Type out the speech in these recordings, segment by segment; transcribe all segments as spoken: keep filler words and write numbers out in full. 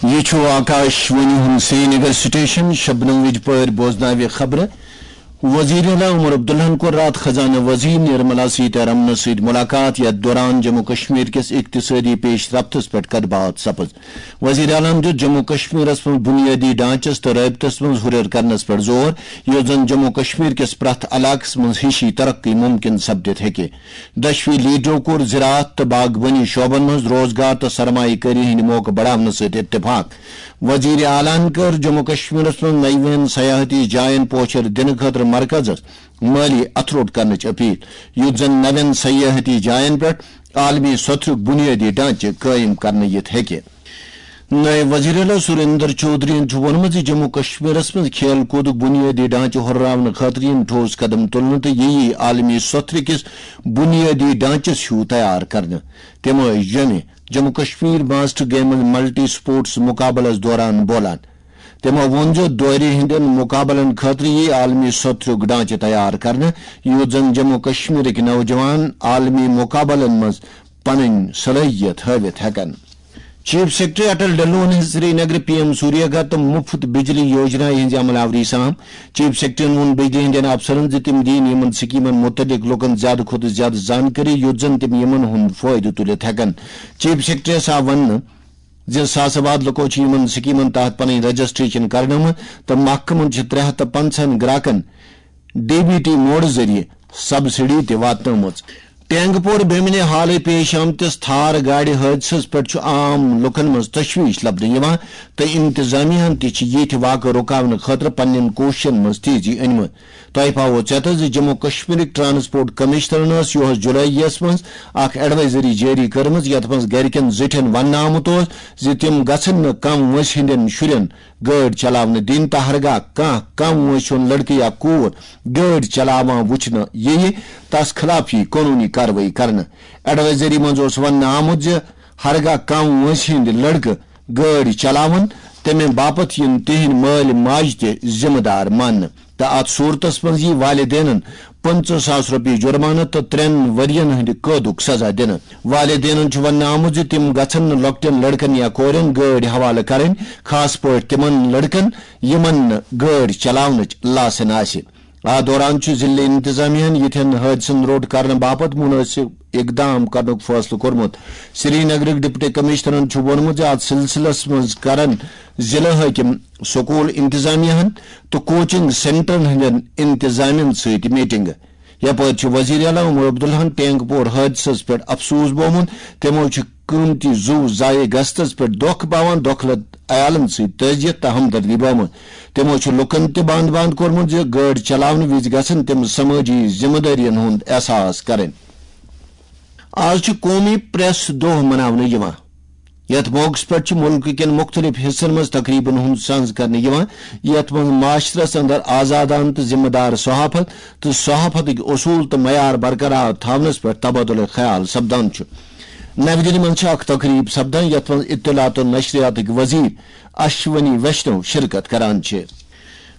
یہِ چھُ آکاش وانی ہُنٛد سرینگر سٹیشن۔ شبنم وِج پٲرۍ بوزناوِ خبرٕ۔ وزیر اعلیٰ عمر عبداللہن کوٚر راتھ خزانہٕ وزیر نرملا سیتارمنس سۭتۍ ملاقات، یتھ دوران جموں کشمیر کِس اقتصٲدی پیش رفتس پٮ۪ٹھ کتھ باتھ سپٕز۔ وزیر اعلیٰ ہَن دیُت جموں کشمیرَس منٛز بُنیٲدی ڈھانچَس تہٕ رٲبطس منٛز ہُرٮ۪ر کرنَس پٮ۪ٹھ زور، یُتھ زَن جموں کشمیر کِس پرٛٮ۪تھ علاقَس منٛز ہِشی ترقی مُمکِن سپدِتھ ہیٚکہِ۔ دۄشوٕے لیڈرو کوٚر زراعت تہٕ باغبٲنی شعبَن منٛز روزگار تہٕ سرمایہ کٲری ہٕنٛدۍ موقعہٕ بڑاونہٕ سۭتۍ اتفاق۔ وزیر اعلیٰ ہَن کٔر جموں کشمیرَس منٛز نَوٮ۪ن سیاحتی جاین پوچھر دِنہٕ خٲطرٕ مرکزَس مٲلی اتھٕ روٚٹ کرنٕچ اپیل، یُتھ زَن نَوٮ۪ن سیاحتی جاین پٮ۪ٹھ عالمی سطحُک بُنیٲدی ڈھانچہٕ قٲیِم کرنہٕ یِتھ ہیٚکہِ۔ نائب وزیر اعلیٰ سریندر چودھرین چھُ ووٚنمُت زِ جموں کشمیرَس منٛز کھیل کوٗدُک بُنیٲدی ڈھانچہٕ ہُرراونہٕ خٲطرٕ یِن ٹھوس قدم تُلنہٕ تہٕ یہِ یِیہِ عالمی سطرٕ کِس بُنیٲدی ڈھانچَس ہیوٗ تیار کرنہٕ۔ تِم ٲسۍ جوٚمہِ Jammu Kashmir master games multi sports مقابلَس دوران بولان۔ تِمو ووٚن زِ دورِ ہٕنٛدٮ۪ن مقابلن خٲطرٕ یِیہِ عالمی سطرُک ڈھانچہٕ تیار کرنہٕ، یُتھ زَن جموں کشمیرٕکۍ نوجوان عالمی مقابلن منٛز پنٕنۍ صلٲحیت ہٲوِتھ ہٮ۪کن۔ چیف سیکرٹری اٹل ڈلون ہٕنٛز سری نگر پی ایم سوریہ گھر تہٕ مُفت بجلی یوجنا ہٕنٛزِ عمل آوری سان۔ چیف سیکرٹریَن ووٚن بجلی ہٕنٛدٮ۪ن افسرَن زِ تِم دِیِن یِمَن سکیمَن مُتعلِق لوٗکَن زیادٕ کھۄتہٕ زیادٕ زانکٲری، یُتھ زَن تِم یِمَن ہُنٛد فٲیدٕ تُلِتھ ہٮ۪کَن۔ چیف سیکرٹریَس آو وَننہٕ زِ ساسہٕ واد لُکو چھِ یِمَن سکیمَن تحت پنٕنۍ رجسٹریشن کرنٲومٕژ تہٕ محکمَن چھِ ترٛےٚ ہَتھ تہٕ پنٛژاہَن گراکَن ڈی بی ٹی موڈ ذٔریعہٕ سبسڈی تہِ واتنٲومٕژ۔ ٹینگ پور بیمنہِ حالٕے پیش آمتِس تھار گاڑِ حٲدثس پٮ۪ٹھ چھُ عام لُکن منٛز تشویش لبنہٕ یِوان تہٕ انتظامیہ ہن تہِ چھِ یِتھۍ واقعہٕ رُکاونہٕ خٲطرٕ پننٮ۪ن کوٗششن منٛز تیزی أنمٕژ۔ تۄہہِ پاوو ژیتس زِ جموں کشمیرٕکۍ ٹرانسپورٹ کمشنرن ٲس یُہس جُلاییَس منٛز اکھ ایڈوائزری جٲری کٔرمٕژ، یتھ منٛز گرِکٮ۪ن زِٹھٮ۪ن وننہٕ آمُت اوس زِ تِم گژھن نہٕ کم وٲنٛسہِ ہٕنٛدٮ۪ن شُرٮ۪ن گٲڑۍ چلاونہٕ دِنۍ تہٕ ہرگاہ کانٛہہ کم وٲنٛسہِ ہُنٛد لڑکہٕ یا کوٗر گٲڑۍ چلاوان وُچھنہٕ یِیہِ، تس خلاف یِیہِ قونوٗنی کاروٲیی کرنہٕ۔ ایڈوائزری منٛز اوس وننہٕ آمُت زِ ہرگاہ کم وٲنٛسہِ ہٕنٛدۍ لڑکہٕ گٲڑۍ چلاوَن، تَمہِ باپتھ یِن تِہنٛدۍ مٲلۍ ماجہِ تہِ ذمہٕ دار ماننہٕ تہٕ اَتھ صوٗرتس منٛز یِیہِ والدینَن پٕنٛژٕہ ساس رۄپیہِ جُرمانہٕ تہٕ ترٛٮ۪ن ؤرۍ یَن ہٕنٛدِ قٲدُک سزا دِنہٕ۔ والدینَن چھُ وننہٕ آمُت زِ تِم گژھن نہٕ لۄکٹٮ۪ن لڑکن یا کورٮ۪ن گٲڑۍ حوالہٕ کرٕنۍ، خاص پٲٹھۍ تِمن لڑکن یِمن نہٕ گٲڑۍ چلاونٕچ لاسن آسہِ۔ اَتھ دوران چھُ ضلعہٕ انتظامیہ ہَن یِتھٮ۪ن حٲدثن روٚٹ کرنہٕ باپتھ مُنٲسِب اقدام کرنُک فٲصلہٕ کوٚرمُت۔ سری نگرٕکۍ ڈپٹی کمشنرن چھُ ووٚنمُت زِ اَتھ سلسلس منٛز کرن ضلعہٕ حٲکِم، سکوٗل انتظامیہ ہَن تہٕ کوچنگ سینٹرن ہٕنٛدٮ۪ن انتظامین سۭتۍ میٹنگ۔ یپٲرۍ چھُ وزیر اعلیٰ عمر عبداللہن ٹینگ پور حٲدثس پٮ۪ٹھ افسوس بومُت۔ تِمو چھُ قۭمتی زُو ضایع گژھنس پٮ۪ٹھ دۄکھ پاوان دۄکھلہٕ عیالن سۭتۍ تعزیت تہٕ ہمدردی بٲومٕژ۔ تِمو چھُ لوٗکن تہِ بند بند کوٚرمُت زِ گٲڑۍ چلاونہٕ وِزِ گژھن تِم سمٲجی ذمہٕ دٲرین ہُنٛد احساس کرٕنۍ۔ آز چھُ قومی پریس دۄہ مناونہٕ یِوان۔ یتھ موقعس پٮ۪ٹھ چھِ مُلکہٕ کٮ۪ن مُختٔلِف حصن منٛز تقریبن ہُنٛد سنز کرنہٕ یِوان، یتھ منٛز معاشرس اندر آزادانہٕ تہٕ ذمہٕ دار صحافت تہٕ صحافتٕکۍ اصوٗل تہٕ معیار برقرار تھاونس پٮ۪ٹھ تبادلہٕ خیال سپدان چھُ۔ نَوِ دِلہِ منٛز چھِ اکھ تقریب سپدان، یتھ منٛز اطلاعات و نشریاتٕکۍ وزیر اشونی ویشنو شرکت کران چھِ۔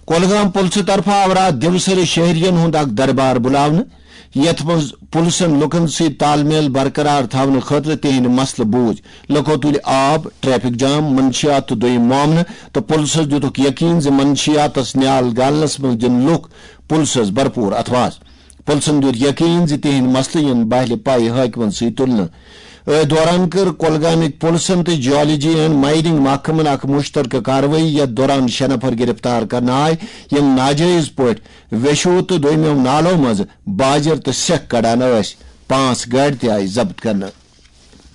کولگام پُلسہٕ طرفہٕ آو راتھ دِوسرٕ شہرین ہُنٛد اکھ دربار بُلاونہٕ، یتھ منٛز پُلسن لوٗکن سۭتۍ تال میل برقرار تھاونہٕ خٲطرٕ تِہنٛدۍ مسلہٕ بوٗزۍ۔ لوٗکو تُلۍ آب، ٹریفک جام، منشیات تہٕ دوٚیِم معاملہٕ تہٕ پُلسس دِتُکھ یقین زِ منشیاتس نیال گالنس منٛز دِن لوٗکھ پُلسس بھرپوٗر اتھواس۔ پُلسن دیُت یقین زِ تِہنٛدۍ مسلہٕ یِن بہلہِ پایہِ حٲکمن سۭتۍ تُلنہٕ۔ أتھۍ دوران کٔر کۄلگامٕکۍ پُلسن تہٕ جیولوجی اینڈ مایننگ محکمن اکھ مُشترکہٕ کاروٲیی، یتھ دوران شےٚ نفر گرفتار کرنہٕ آے، یِم ناجٲیز پٲٹھۍ ویشو تہٕ دوٚیمٮ۪و نالو منٛزٕ باجر تہٕ سیکھ کڑان ٲسۍ۔ پانٛژھ گاڑِ تہِ آیہِ ضبط کرنہٕ۔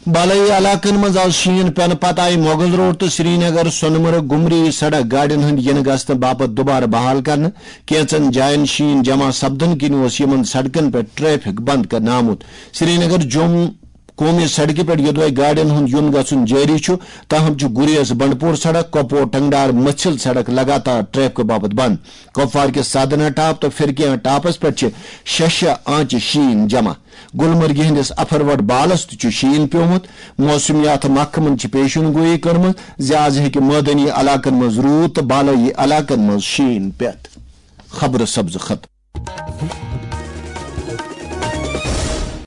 بالٲیی علاقن منٛز آز شیٖن پٮ۪نہٕ پتہٕ آیہِ مغل روڈ تہٕ سرینگر، سۄنہٕ مرگ، گُمری سڑک گاڑٮ۪ن ہٕنٛدۍ یِنہٕ گژھنہٕ باپتھ دوبارٕ بحال کرنہٕ۔ کینٛژن جاین شیٖن جمع سپدنہٕ کِنۍ اوس یِمن سڑکن پٮ۪ٹھ ٹریفک بند کرنہٕ آمُت۔ سرینگر جوٚم قومی سڑکہِ پٮ۪ٹھ یوٚدوے گاڑٮ۪ن ہُنٛد یُن گژھُن جٲری چھُ، تاہم چھُ گُریز بنڈپور سڑک، کۄپور ٹنگڈار مٔژھِل سڑک لگاتار ٹریفکہٕ باپتھ بند۔ کۄپوارکِس سادنا ٹاپ تہٕ فرقیاں ٹاپس پٮ۪ٹھ چھِ شےٚ شےٚ آنچہِ شیٖن جمع۔ گلمرگہِ ہٕنٛدِس اپھروٹ بالس تہِ چھُ شیٖن پیومُت۔ موسمیات محکمن چھِ پیشن گویی کٔرمٕژ زِ از ہیٚکہِ مٲدٲنی علاقن منٛز روٗد تہٕ بالٲیی علاقن منٛز شیٖن پٮ۪تھ۔ خبرٕ سبزٕ ختم۔